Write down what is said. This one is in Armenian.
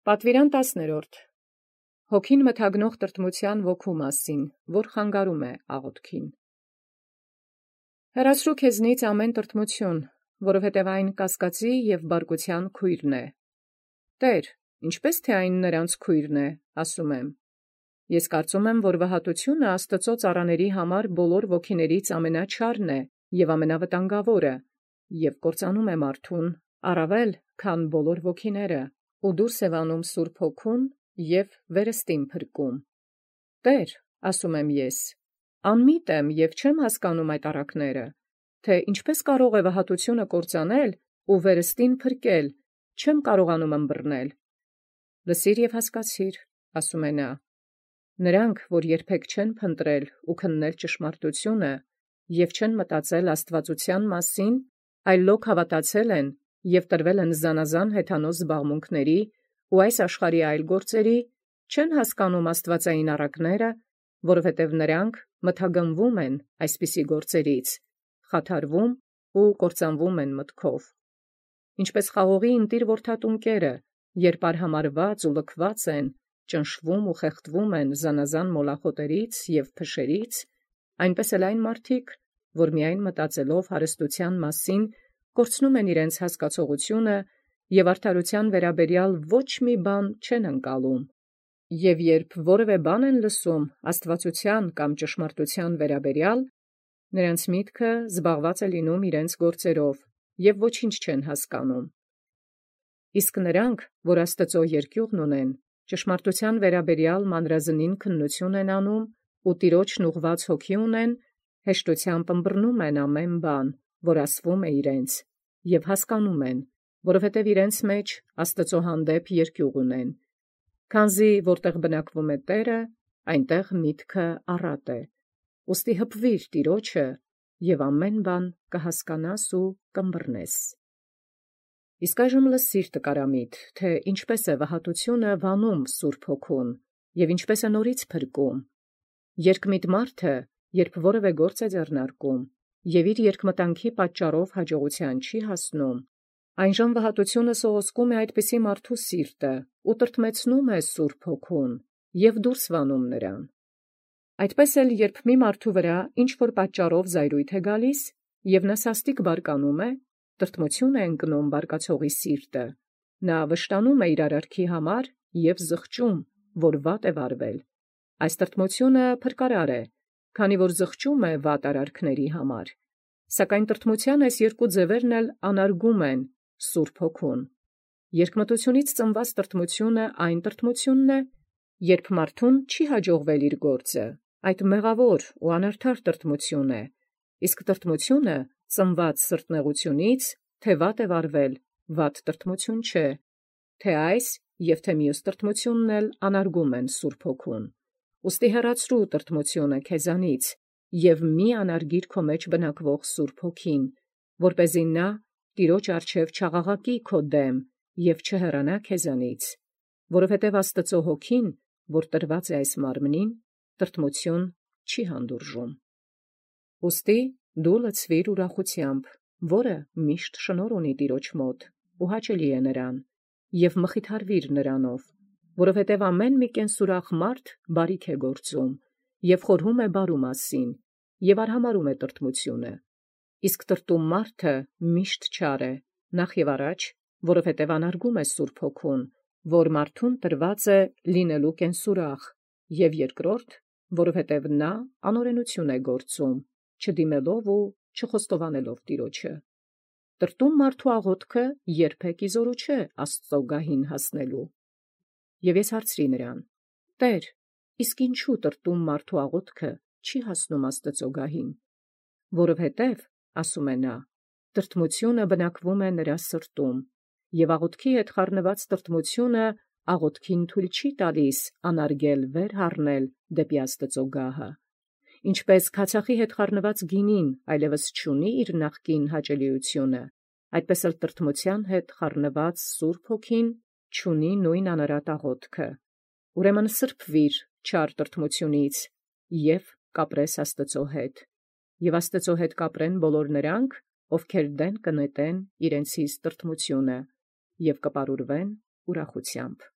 Պատվիրան 10. Հոգին մթագնող տրտմութեան ոգու մասին, որ խանգարում է աղոթքին։ Հեռացրու քեզնից ամեն տրտմութիւն, որովհետև այն կասկածի և բարկութեան քույրն է։ Տէր, ինչպէս թե այն նրանց քույրն է, ասում եմ։ Ես կարծում եմ, որ վհատութիւնը Աստուծոյ ծառաների համար բոլոր ոգիներից ամենաչարն է և ամենավտանգաւորը, և կործանում է մարդուն առավել, քան բոլոր ոգիները, ու դուրս է վանում Սուրբ Հոգուն և վերստին փրկում։ Տէր, ասում եմ ես, անմիտ եմ և չեմ հասկանում այդ առակները, թե ինչպէս կարող է վհատութիւնը կործանել ու վերստին փրկել, չեմ կարողանում ըմբռնել։ Լսիր և հասկացիր, ասում է նա. նրանք, որ երբեք չեն փնտրել ու քննել ճշմարտութիւնը և չեն մտածել աստուածութեան մասին, այլ լոկ հավատացել են և տրվել են զանազան հեթանոս զբաղմունքների ու այս աշխարհի այլ գործերի, չեն հասկանում աստուածային առակները, որովհետև նրանք մթագնվում են այսպիսի գործերից, խաթարվում ու կործանվում են մտքով։ Ինչպես խաղողի ընտիր որդատունկերը, երբ արհամարված ու լքված են, ճնշվում ու խեղդվում են զանազան մոլախոտերից և փշերից, այնպես էլ այն մարդիկ, որ միայն մտածելով հարստութեան մասին, կորցնում են իրենց հասկացողությունը և արդարութեան վերաբերյալ ոչ մի բան չեն ընկալում, և երբ որևէ բան են լսում աստուածութեան կամ ճշմարտութեան վերաբերյալ, նրանց միտքը զբաղված է լինում իրենց գործերով և ոչինչ չեն հասկանում։ Իսկ նրանք, որ Աստուծոյ երկյուղն ունեն, ճշմարտութեան վերաբերյալ մանրազնին քննութիւն են անում ու Տիրոջն ուղղված հոգի ունեն, հեշտութեամբ ըմբռնում են ամեն բան, որ ասվում է իրենց, և հասկանում են, որովհետև իրենց մեջ Աստուծոյ հանդեպ երկյուղ ունեն։ Քանզի որտեղ բնակվում է Տէրը, այնտեղ միտքը առատ է։ Ուստի հպվիր Տիրոջը, և ամեն բան կհասկանաս ու կըմբռնես։ Իսկ այժմ լսիր տկարամիտ, թե ինչպէս է վհատութիւնը վանում Սուրբ Հոգուն, և ինչպէս է նորից փրկում։ Երկմիտ մարդը, երբ որևէ գործ է ձեռնարկում, և իր երկմտանքի պատճառով հաջողութեան չի հասնում, այնժամ վհատութիւնը սողոսկում է այդպիսի մարդու սիրտը ու տրտմեցնում է Սուրբ Հոգուն և դուրս վանում նրան։ Այդպես էլ երբ մի մարդու վրա ինչ-որ պատճառով զայրույթ է գալիս, և նա սաստիկ բարկանում է, տրտմութիւն է ընկնում բարկացողի սիրտը, նա վշտանում է իր արարքի համար և զղջում, որ վատ է վարվել։ Այս տրտմութիւնը փրկարար է, քանի որ զղջում է վատ արարքների համար, սակայն տրտմութեան այս երկու ձևերն էլ անարգում են Սուրբ Հոգուն։ Երկմտությունից ծնված տրտմութիւնը այն տրտմութիւնն է, երբ մարդուն չի հաջողվել իր գործը, այդ մեղավոր ու անարդար տրտմութիւն է, իսկ տրտմութիւնը ծնված սրտնեղութիւնից, թե վատ է վարվել, վատ տրտմութիւն չէ, թե այս և թե մյուս տրտմութիւնն էլ անարգում են Սուրբ Հոգուն։ Ուստի հեռացրու տրտմութիւնը քեզանից և մի անարգիր քո մեջ բնակվող Սուրբ Հոգին, որպեսզի նա Տիրոջ առջև չաղաղակի քո դեմ և չհեռանա քեզանից, որովհետև Աստուծոյ Հոգին, որ տրված է այս մարմնին, տրտմութիւն չի հանդուրժում։ Ուստի դու լցվիր ուրախութեամբ, որը միշտ շնորհ ունի Տիրոջ մոտ ու հաճելի է նրան, և մխիթարվիր նրանով, որովհետև ամեն մի կենսուրախ մարդ բարիք է գործում և խորհում է բարու մասին և արհամարհում է տրտմութիւնը, իսկ տրտում մարդը միշտ չար է, նախևառաջ, որովհետև անարգում է Սուրբ Հոգուն, որ մարդուն տրված է լինելու կենսուրախ, և երկրորդ, որովհետև նա անօրենութիւն է գործում, չդիմելով ու չխոստովանելով Տիրոջը։ Տրտում մարդու աղոթքը երբեք իզորու չէ Աստուծոյ գահին հասնելու։ Եւ ես հարցրի նրան. Տէր, իսկ ինչու տրտում մարդու աղոթքը չի հասնում Աստուծոյ գահին։ Որովհետև, ասում է նա, տրտմութիւնը բնակվում է նրա սրտում, և աղոթքի հետ խառնված տրտմութիւնը աղոթքին թույլ չի տալիս անարգել վեր հառնել դեպի Աստուծոյ գահը։ Ինչպես քացախի հետ խառնված գինին այլևս չունի իր նախկին հաճելիությունը, այդպես էլ տրտմութեան հետ խառնված Սուրբ Հոգին չունի նույն անարատ աղոթքը։ Ուրեմն սրբվիր չար տրտմութիւնից և կապրես Աստուծոյ հետ, և Աստուծոյ հետ կապրեն բոլոր նրանք, ովքեր դեն կը նետեն իրենցից տրտմութիւնը, և կպարուրվեն ուրախութեամբ։